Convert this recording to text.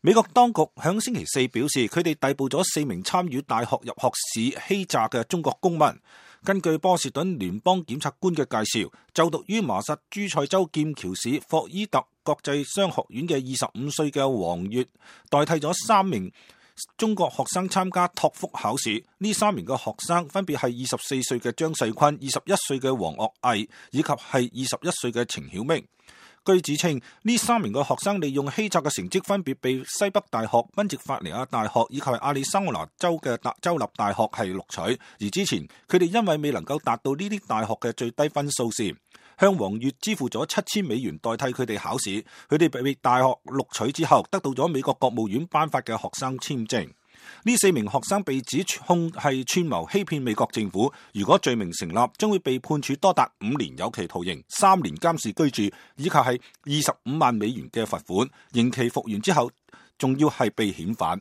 美國當局響星期四表示，佢哋逮捕咗4名參與大學入學試欺詐嘅中國公民。根據波士頓聯邦檢察官嘅介紹，就讀於麻薩諸塞州劍橋市霍伊特國際商學院嘅25歲嘅黃月，代替咗3名中國學生參加托福考試。呢3名嘅學生分別係24歲嘅張世坤、21歲嘅黃岳毅，以及係21歲嘅程曉明。據指稱，呢3名嘅學生利用欺詐嘅成績，分別被西北大學、賓夕法尼亞大學以及亞利桑那州嘅州立大學係錄取。而之前佢哋因為未能夠達到呢啲大學嘅最低分數時，向黃月支付咗$7000代替佢哋考試。佢哋被大學錄取之後，得到咗美國國務院頒發嘅學生簽證。呢4名學生被指控係串謀欺騙美國政府，如果罪名成立，將會被判處多達5年有期徒刑、3年監視居住，以及係25萬美元嘅罰款。刑期服完之後，仲要係被遣返。